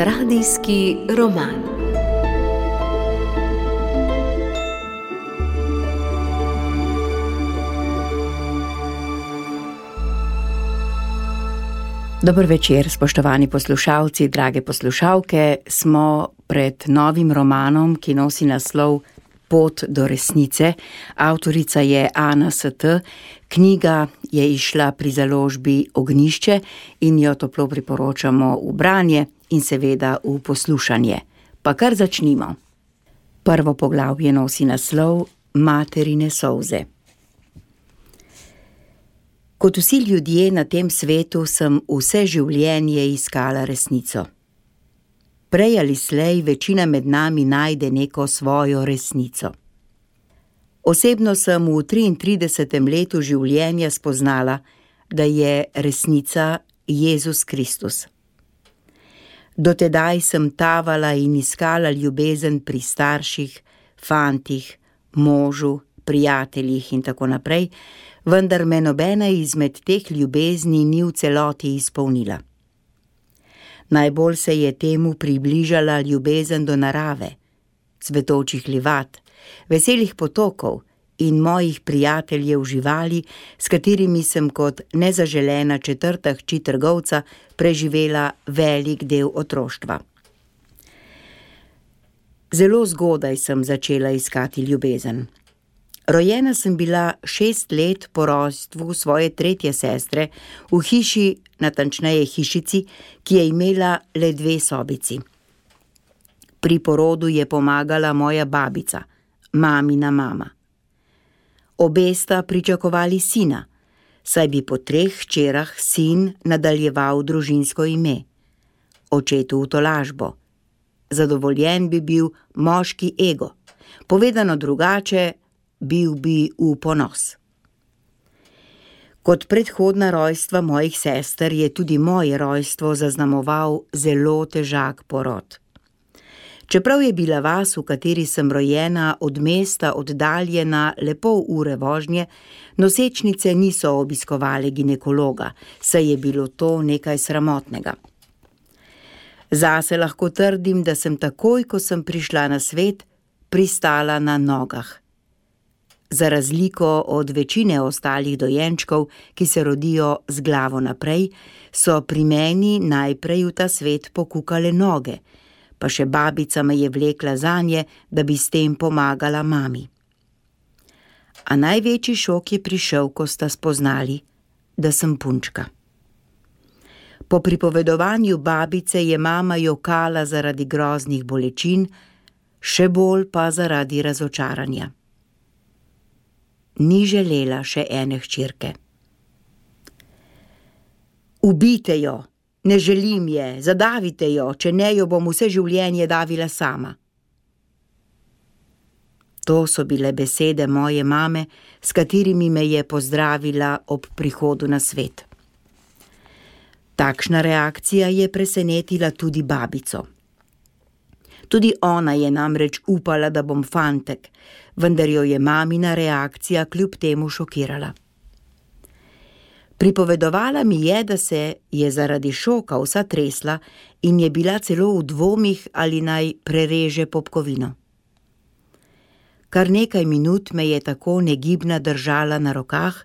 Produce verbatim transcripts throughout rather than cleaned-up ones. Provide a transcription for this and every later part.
Radijski roman. Dober večer, spoštovani poslušalci, drage poslušalke. Smo pred novim romanom, ki nosi naslov Pot do resnice. Avtorica je Ana St. Knjiga je izšla pri založbi Ognjišče in jo toplo priporočamo v branje in seveda v poslušanje. Pa kar začnimo. Prvo poglavje nosi naslov Materine solze. Kot vsi ljudje na tem svetu sem vse življenje iskala resnico. Prej ali slej večina med nami najde neko svojo resnico. Osebno sem v triintridesetem letu življenja spoznala, da je resnica Jezus Kristus. Dotedaj sem tavala in iskala ljubezen pri starših, fantih, možu, prijateljih in tako naprej, vendar me nobena izmed teh ljubezni ni v celoti izpolnila. Najbolj se je temu približala ljubezen do narave, cvetočih livat, veselih potokov in mojih prijateljev živali, s katerimi sem kot nezaželena četrta hči trgovca preživela velik del otroštva. Zelo zgodaj sem začela iskati ljubezen. Rojena sem bila šest let po rojstvu svoje tretje sestre v hiši, natančneje hišici, ki je imela le dve sobici. Pri porodu je pomagala moja babica, mamina mama. Obe sta pričakovali sina, saj bi po treh hčerah sin nadaljeval družinsko ime, očetu v tolažbo. Zadovoljen bi bil moški ego, povedano drugače, bil bi v ponos. Kot predhodna rojstva mojih sester je tudi moje rojstvo zaznamoval zelo težak porod. Čeprav je bila vas, v kateri sem rojena, od mesta oddaljena le pol ure vožnje, nosečnice niso obiskovale ginekologa, saj je bilo to nekaj sramotnega. Zase lahko trdim, da sem takoj, ko sem prišla na svet, pristala na nogah. Za razliko od večine ostalih dojenčkov, ki se rodijo z glavo naprej, so pri meni najprej v ta svet pokukale noge, pa še babica me je vlekla zanje, da bi s tem pomagala mami. A največji šok je prišel, ko sta spoznali, da sem punčka. Po pripovedovanju babice je mama jokala zaradi groznih bolečin, še bolj pa zaradi razočaranja. Ni želela še ene hčerke. Ubijte jo, ne želim je, zadavite jo, če ne jo bom vse življenje davila sama. To so bile besede moje mame, s katerimi me je pozdravila ob prihodu na svet. Takšna reakcija je presenetila tudi babico. Tudi ona je namreč upala, da bom fantek, vendar jo je mamina reakcija kljub temu šokirala. Pripovedovala mi je, da se je zaradi šoka vsa tresla in je bila celo v dvomih, ali naj prereže popkovino. Kar nekaj minut me je tako negibna držala na rokah,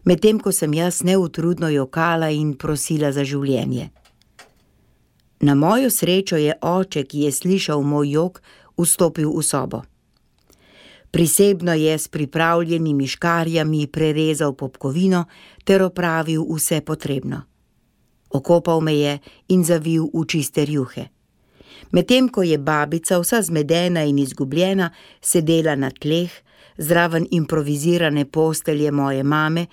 medtem ko sem jaz neutrudno jokala in prosila za življenje. Na mojo srečo je oče, ki je slišal moj jok, vstopil v sobo. Prisebno je s pripravljenimi škarjami prerezal popkovino ter opravil vse potrebno. Okopal me je in zavil v čiste rjuhe. Medtem ko je babica, vsa zmedena in izgubljena, sedela na tleh, zraven improvizirane postelje moje mame,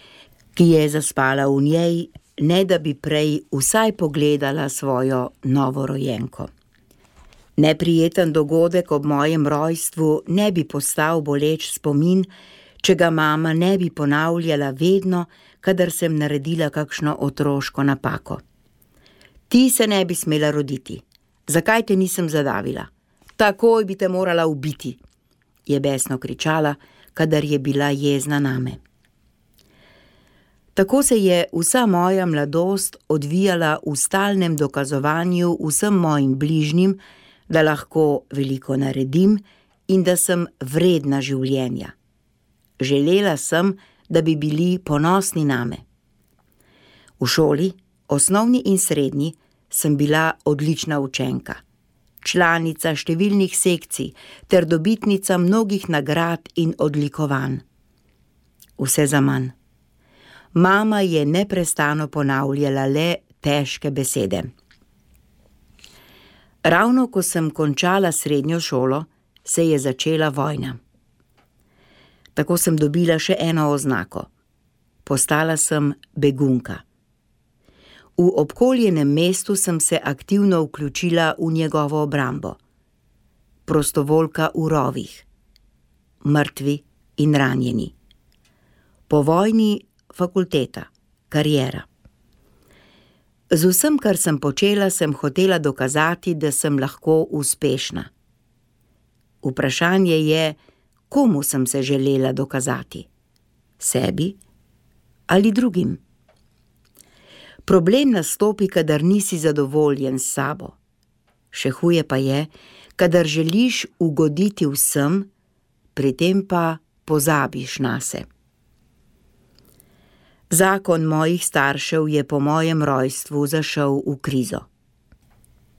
ki je zaspala v njej, ne da bi prej vsaj pogledala svojo novorojenko. Neprijeten dogodek ob mojem rojstvu ne bi postal boleč spomin, če ga mama ne bi ponavljala vedno, kadar sem naredila kakšno otroško napako. Ti se ne bi smela roditi. Zakaj te nisem zadavila? Takoj bi te morala ubiti, je besno kričala, kadar je bila jezna name. Tako se je vsa moja mladost odvijala v stalnem dokazovanju vsem mojim bližnjim, da lahko veliko naredim in da sem vredna življenja. Želela sem, da bi bili ponosni name. V šoli, osnovni in srednji, sem bila odlična učenka, članica številnih sekcij ter dobitnica mnogih nagrad in odlikovanj. Vse zaman. Mama je neprestano ponavljala le težke besede. Ravno ko sem končala srednjo šolo, se je začela vojna. Tako sem dobila še eno oznako. Postala sem begunka. V obkoljenem mestu sem se aktivno vključila v njegovo obrambo. Prostovoljka v rovih. Mrtvi in ranjeni. Po vojni fakulteta, kariera. Z vsem, kar sem počela, sem hotela dokazati, da sem lahko uspešna. Vprašanje je, komu sem se želela dokazati? Sebi ali drugim? Problem nastopi, kadar nisi zadovoljen s sabo. Še huje pa je, kadar želiš ugoditi vsem, pri tem pa pozabiš nase. Zakon mojih staršev je po mojem rojstvu zašel v krizo.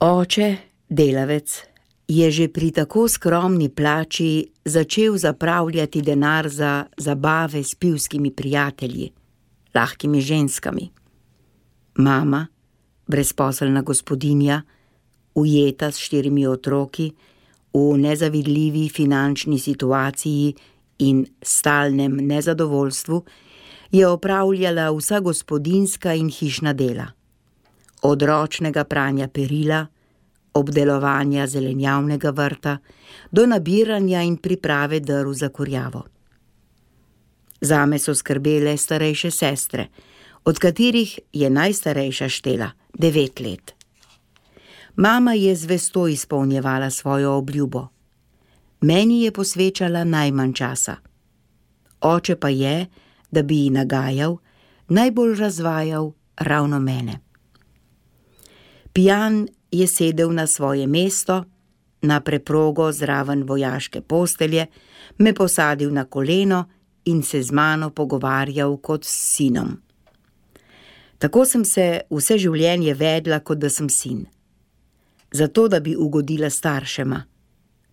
Oče, delavec, je že pri tako skromni plači začel zapravljati denar za zabave s pivskimi prijatelji, lahkimi ženskami. Mama, brezposelna gospodinja, ujeta s štirimi otroki, v nezavidljivi finančni situaciji in stalnem nezadovoljstvu, je opravljala vsa gospodinjska in hišna dela. Od ročnega pranja perila, obdelovanja zelenjavnega vrta, do nabiranja in priprave drv za kurjavo. Zame so skrbele starejše sestre, od katerih je najstarejša štela devet let. Mama je zvesto izpolnjevala svojo obljubo. Meni je posvečala najmanj časa. Oče pa je, da bi ji nagajal, najbolj razvajal ravno mene. Pijan je sedel na svoje mesto, na preprogo zraven vojaške postelje, me posadil na koleno in se z mano pogovarjal kot s sinom. Tako sem se vse življenje vedla, kot da sem sin. Zato, da bi ugodila staršema,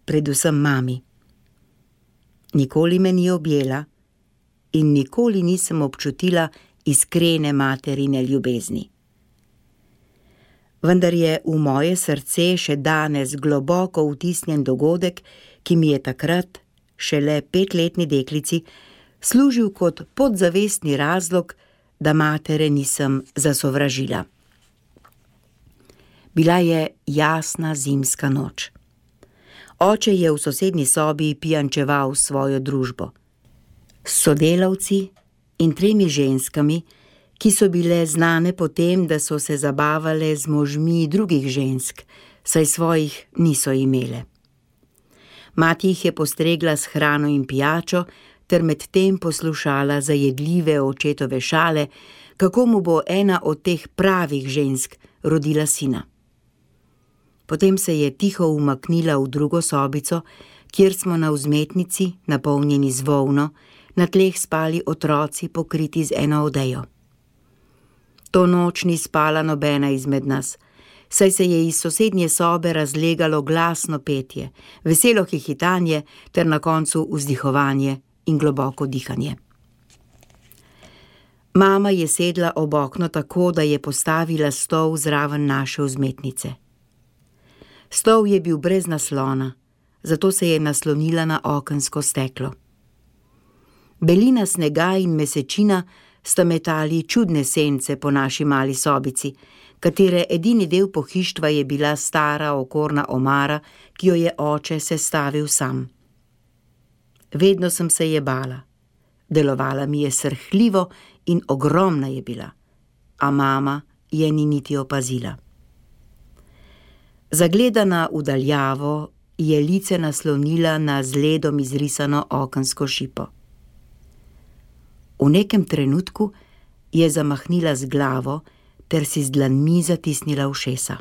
predvsem mami. Nikoli me ni objela in nikoli nisem občutila iskrene materine ljubezni. Vendar je v moje srce še danes globoko vtisnjen dogodek, ki mi je takrat, šele petletni deklici, služil kot podzavestni razlog, da matere nisem zasovražila. Bila je jasna zimska noč. Oče je v sosednji sobi pijančeval svojo družbo. S sodelavci in tremi ženskami, ki so bile znane po tem, da so se zabavale z možmi drugih žensk, saj svojih niso imele. Mati jih je postregla s hrano in pijačo, ter med tem poslušala zajedljive očetove šale, kako mu bo ena od teh pravih žensk rodila sina. Potem se je tiho umaknila v drugo sobico, kjer smo na vzmetnici, napolnjeni z volno, na tleh spali otroci, pokriti z eno odejo. To noč ni spala nobena izmed nas, saj se je iz sosednje sobe razlegalo glasno petje, veselo hihitanje ter na koncu vzdihovanje in globoko dihanje. Mama je sedla ob okno tako, da je postavila stol zraven naše vzmetnice. Stol je bil brez naslona, zato se je naslonila na okensko steklo. Belina snega in mesečina sta metali čudne sence po naši mali sobici, katere edini del pohištva je bila stara okorna omara, ki jo je oče sestavil sam. Vedno sem se je bala. Delovala mi je srhljivo in ogromna je bila, a mama je ni niti opazila. Zagledana v daljavo je lice naslonila na z ledom izrisano okensko šipo. V nekem trenutku je zamahnila z glavo ter si z dlanmi zatisnila ušesa.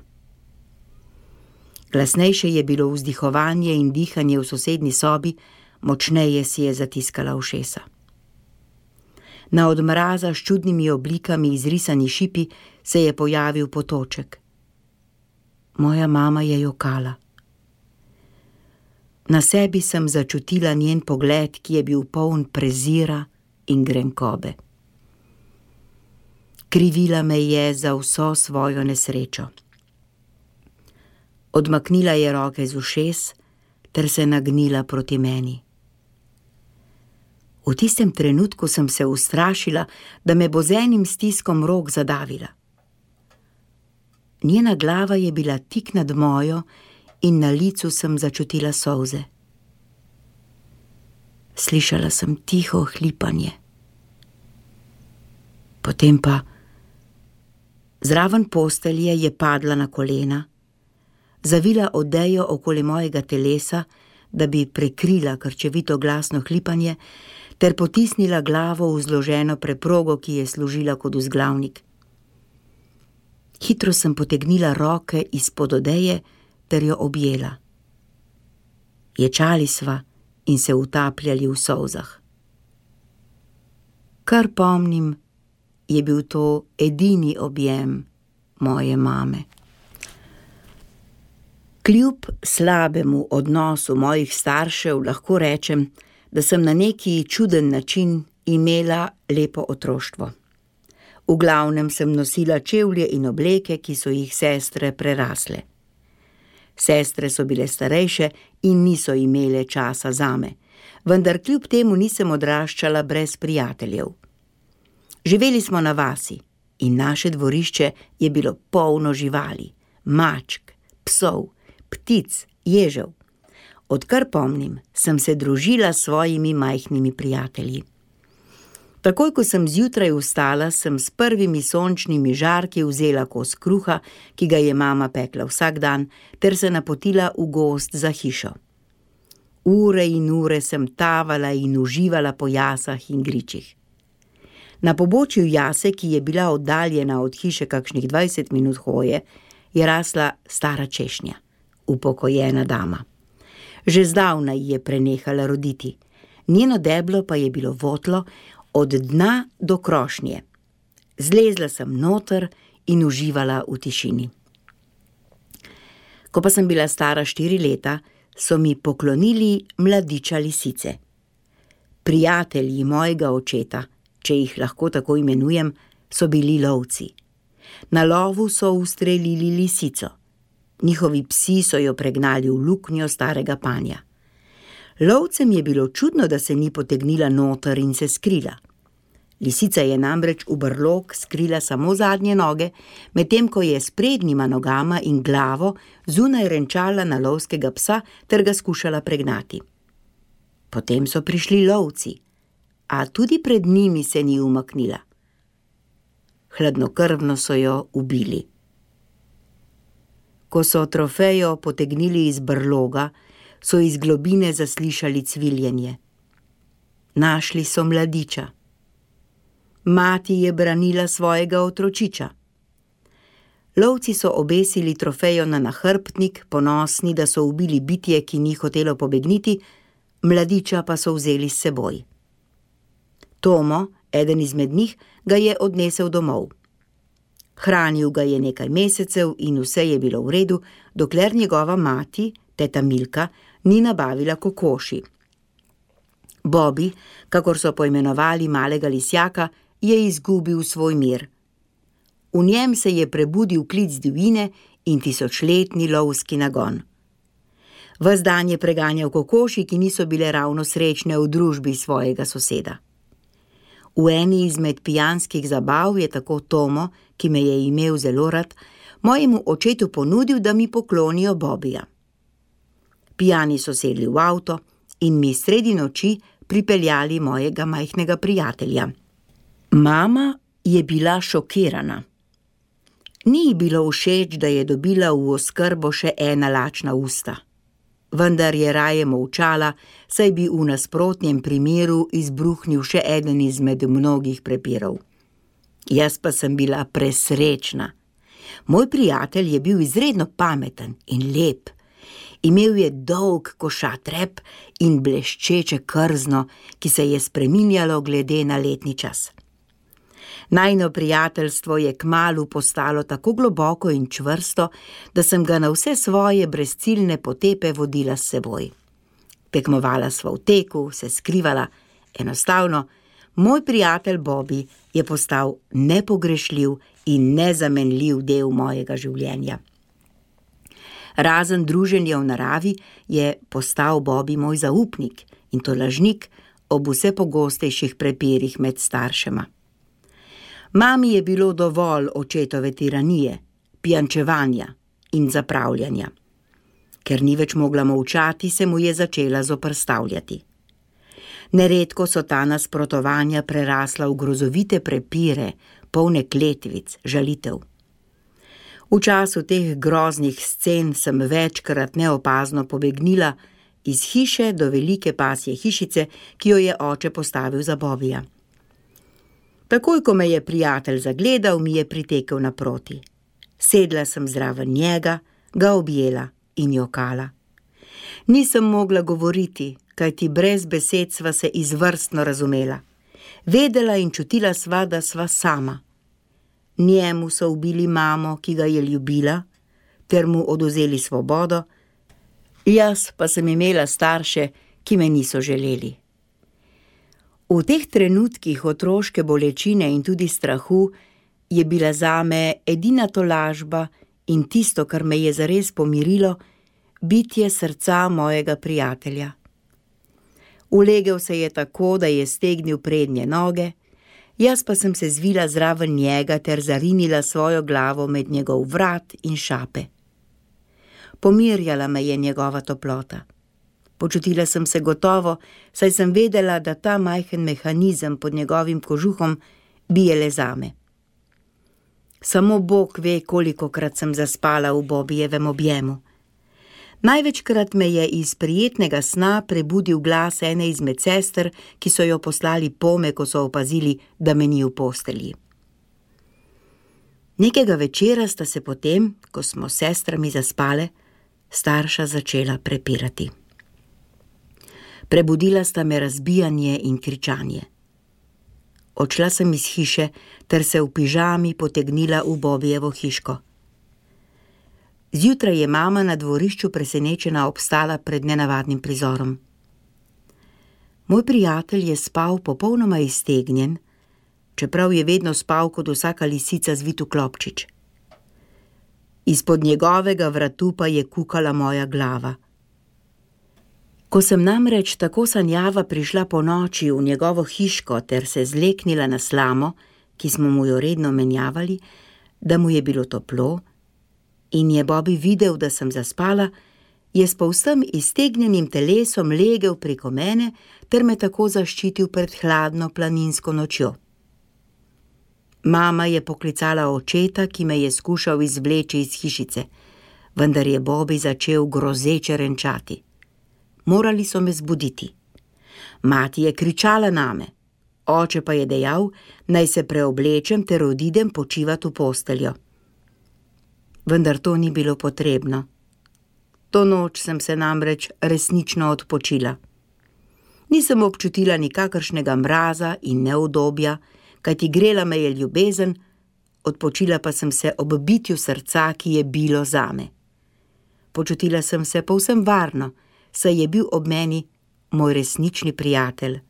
Glasnejše je bilo vzdihovanje in dihanje v sosednji sobi, močneje si je zatiskala ušesa. Na od mraza s čudnimi oblikami izrisani šipi se je pojavil potoček. Moja mama je jokala. Na sebi sem začutila njen pogled, ki je bil poln prezira in grenkobe. Krivila me je za vso svojo nesrečo. Odmaknila je roke z ušes ter se nagnila proti meni. V tistem trenutku sem se ustrašila, da me bo z enim stiskom rok zadavila. Njena glava je bila tik nad mojo in na licu sem začutila solze. Slišala sem tiho hlipanje. Potem pa zraven postelje je padla na kolena, zavila odejo okoli mojega telesa, da bi prekrila krčevito glasno hlipanje, ter potisnila glavo v zloženo preprogo, ki je služila kot vzglavnik. Hitro sem potegnila roke izpod odeje ter jo objela. Ječali sva in se utapljali v solzah. Kar pomnim, je bil to edini objem moje mame. Kljub slabemu odnosu mojih staršev lahko rečem, da sem na neki čuden način imela lepo otroštvo. V glavnem sem nosila čevlje in obleke, ki so jih sestre prerasle. Sestre so bile starejše in niso imele časa zame, vendar kljub temu nisem odraščala brez prijateljev. Živeli smo na vasi in naše dvorišče je bilo polno živali, mačk, psov, ptic, ježev. Odkar pomnim, sem se družila s svojimi majhnimi prijatelji. Takoj, ko sem zjutraj vstala, sem s prvimi sončnimi žarki vzela kos kruha, ki ga je mama pekla vsak dan, ter se napotila v gozd za hišo. Ure in ure sem tavala in uživala po jasah in gričih. Na pobočju jase, ki je bila oddaljena od hiše kakšnih dvajset minut hoje, je rasla stara češnja, upokojena dama. Že zdavnaj je prenehala roditi. Njeno deblo pa je bilo votlo od dna do krošnje. Zlezla sem noter in uživala v tišini. Ko pa sem bila stara štiri leta, so mi poklonili mladiča lisice. Prijatelji mojega očeta, če jih lahko tako imenujem, so bili lovci. Na lovu so ustrelili lisico. Njihovi psi so jo pregnali v luknjo starega panja. Lovcem je bilo čudno, da se ni potegnila noter in se skrila. Lisica je namreč v brlog skrila samo zadnje noge, medtem ko je s prednjima nogama in glavo zunaj renčala na lovskega psa ter ga skušala pregnati. Potem so prišli lovci, a tudi pred njimi se ni umaknila. Hladnokrvno so jo ubili. Ko so trofejo potegnili iz brloga, so iz globine zaslišali cviljenje. Našli so mladiča. Mati je branila svojega otročiča. Lovci so obesili trofejo na nahrbtnik, ponosni, da so ubili bitje, ki ni hotelo pobegniti, mladiča pa so vzeli s seboj. Tomo, eden izmed njih, ga je odnesel domov. Hranil ga je nekaj mesecev in vse je bilo v redu, dokler njegova mati, teta Milka, ni nabavila kokoši. Bobby, kakor so poimenovali malega lisjaka, je izgubil svoj mir. V njem se je prebudil klic divjine in tisočletni lovski nagon. Ves dan je preganjal kokoši, ki niso bile ravno srečne v družbi svojega soseda. V eni izmed pijanskih zabav je tako Tomo, ki me je imel zelo rad, mojemu očetu ponudil, da mi poklonijo Bobija. Pijani so sedli v avto in mi sredi noči pripeljali mojega majhnega prijatelja. Mama je bila šokirana. Ni ji bilo všeč, da je dobila v oskrbo še ena lačna usta. Vendar je raje molčala, saj bi v nasprotnem primeru izbruhnil še eden izmed mnogih prepirov. Jaz pa sem bila presrečna. Moj prijatelj je bil izredno pameten in lep. Imel je dolg košat rep in bleščeče krzno, ki se je spreminjalo glede na letni čas. Najino prijateljstvo je kmalu postalo tako globoko in čvrsto, da sem ga na vse svoje brezciljne potepe vodila s seboj. Tekmovala sva v teku, se skrivala, enostavno, moj prijatelj Bobby je postal nepogrešljiv in nezamenljiv del mojega življenja. Razen druženja v naravi je postal Bobby moj zaupnik in to lažnik ob vse pogostejših prepirih med staršema. Mami je bilo dovolj očetove tiranije, pijančevanja in zapravljanja. Ker ni več mogla molčati, se mu je začela zoperstavljati. Neredko so ta nasprotovanja prerasla v grozovite prepire, polne kletvic, žalitev. V času teh groznih scen sem večkrat neopazno pobegnila iz hiše do velike pasje hišice, ki jo je oče postavil za Bobbyja. Takoj, ko me je prijatelj zagledal, mi je pritekel naproti. Sedla sem zraven njega, ga objela in jokala. Nisem mogla govoriti, kajti brez besed sva se izvrstno razumela. Vedela in čutila sva, da sva sama. Njemu so ubili mamo, ki ga je ljubila, ter mu odvzeli svobodo, jaz pa sem imela starše, ki me niso želeli. V teh trenutkih otroške bolečine in tudi strahu je bila zame edina tolažba in tisto, kar me je zares pomirilo, bitje srca mojega prijatelja. Ulegel se je tako, da je stegnil prednje noge, jaz pa sem se zvila zraven njega ter zarinila svojo glavo med njegov vrat in šape. Pomirjala me je njegova toplota. Počutila sem se gotovo, saj sem vedela, da ta majhen mehanizem pod njegovim kožuhom bije le zame. Samo Bog ve, kolikokrat sem zaspala v Bobbyjevem objemu. Največkrat me je iz prijetnega sna prebudil glas ene izmed sester, ki so jo poslali pome, ko so opazili, da me ni v postelji. Nekega večera sta se potem, ko smo s sestrami zaspale, starša začela prepirati. Prebudila sta me razbijanje in kričanje. Odšla sem iz hiše ter se v pižami potegnila v Bobbyjevo hiško. Zjutraj je mama na dvorišču presenečena obstala pred nenavadnim prizorom. Moj prijatelj je spal popolnoma iztegnjen, čeprav je vedno spal kot vsaka lisica zvit v klobčič. Izpod njegovega vratu pa je kukala moja glava. Ko sem namreč tako sanjava prišla po noči v njegovo hiško ter se zleknila na slamo, ki smo mu jo redno menjavali, da mu je bilo toplo, in je Bobby videl, da sem zaspala, je s povsem iztegnjenim telesom legel preko mene ter me tako zaščitil pred hladno planinsko nočjo. Mama je poklicala očeta, ki me je skušal izvleči iz hišice, vendar je Bobby začel grozeče renčati. Morali so me zbuditi. Mati je kričala name, oče pa je dejal, naj se preoblečem ter odidem počivat v posteljo. Vendar to ni bilo potrebno. To noč sem se namreč resnično odpočila. Nisem občutila nikakršnega mraza in neudobja, kajti grela me je ljubezen, odpočila pa sem se ob bitju srca, ki je bilo zame. Počutila sem se povsem varno, saj je bil ob meni moj resnični prijatelj.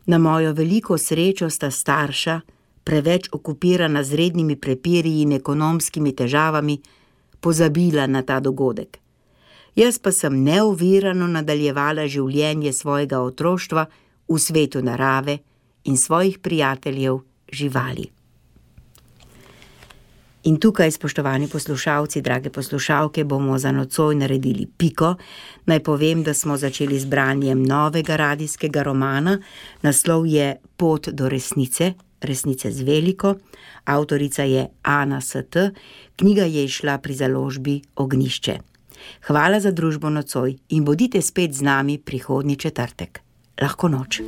Na mojo veliko srečo sta starša, preveč okupirana z rednimi prepiri in ekonomskimi težavami, pozabila na ta dogodek. Jaz pa sem neovirano nadaljevala življenje svojega otroštva v svetu narave in svojih prijateljev živali. In tukaj, spoštovani poslušalci, drage poslušalke, bomo za nocoj naredili piko. Naj povem, da smo začeli z branjem novega radijskega romana. Naslov je Pot do resnice, resnice z veliko. Avtorica je Ana S T. Knjiga je izšla pri založbi Ognjišče. Hvala za družbo nocoj in bodite spet z nami prihodnji četrtek. Lahko noč.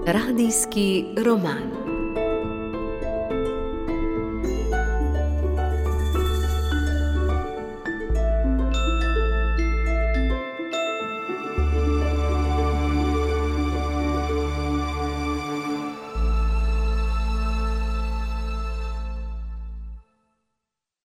Radijski roman.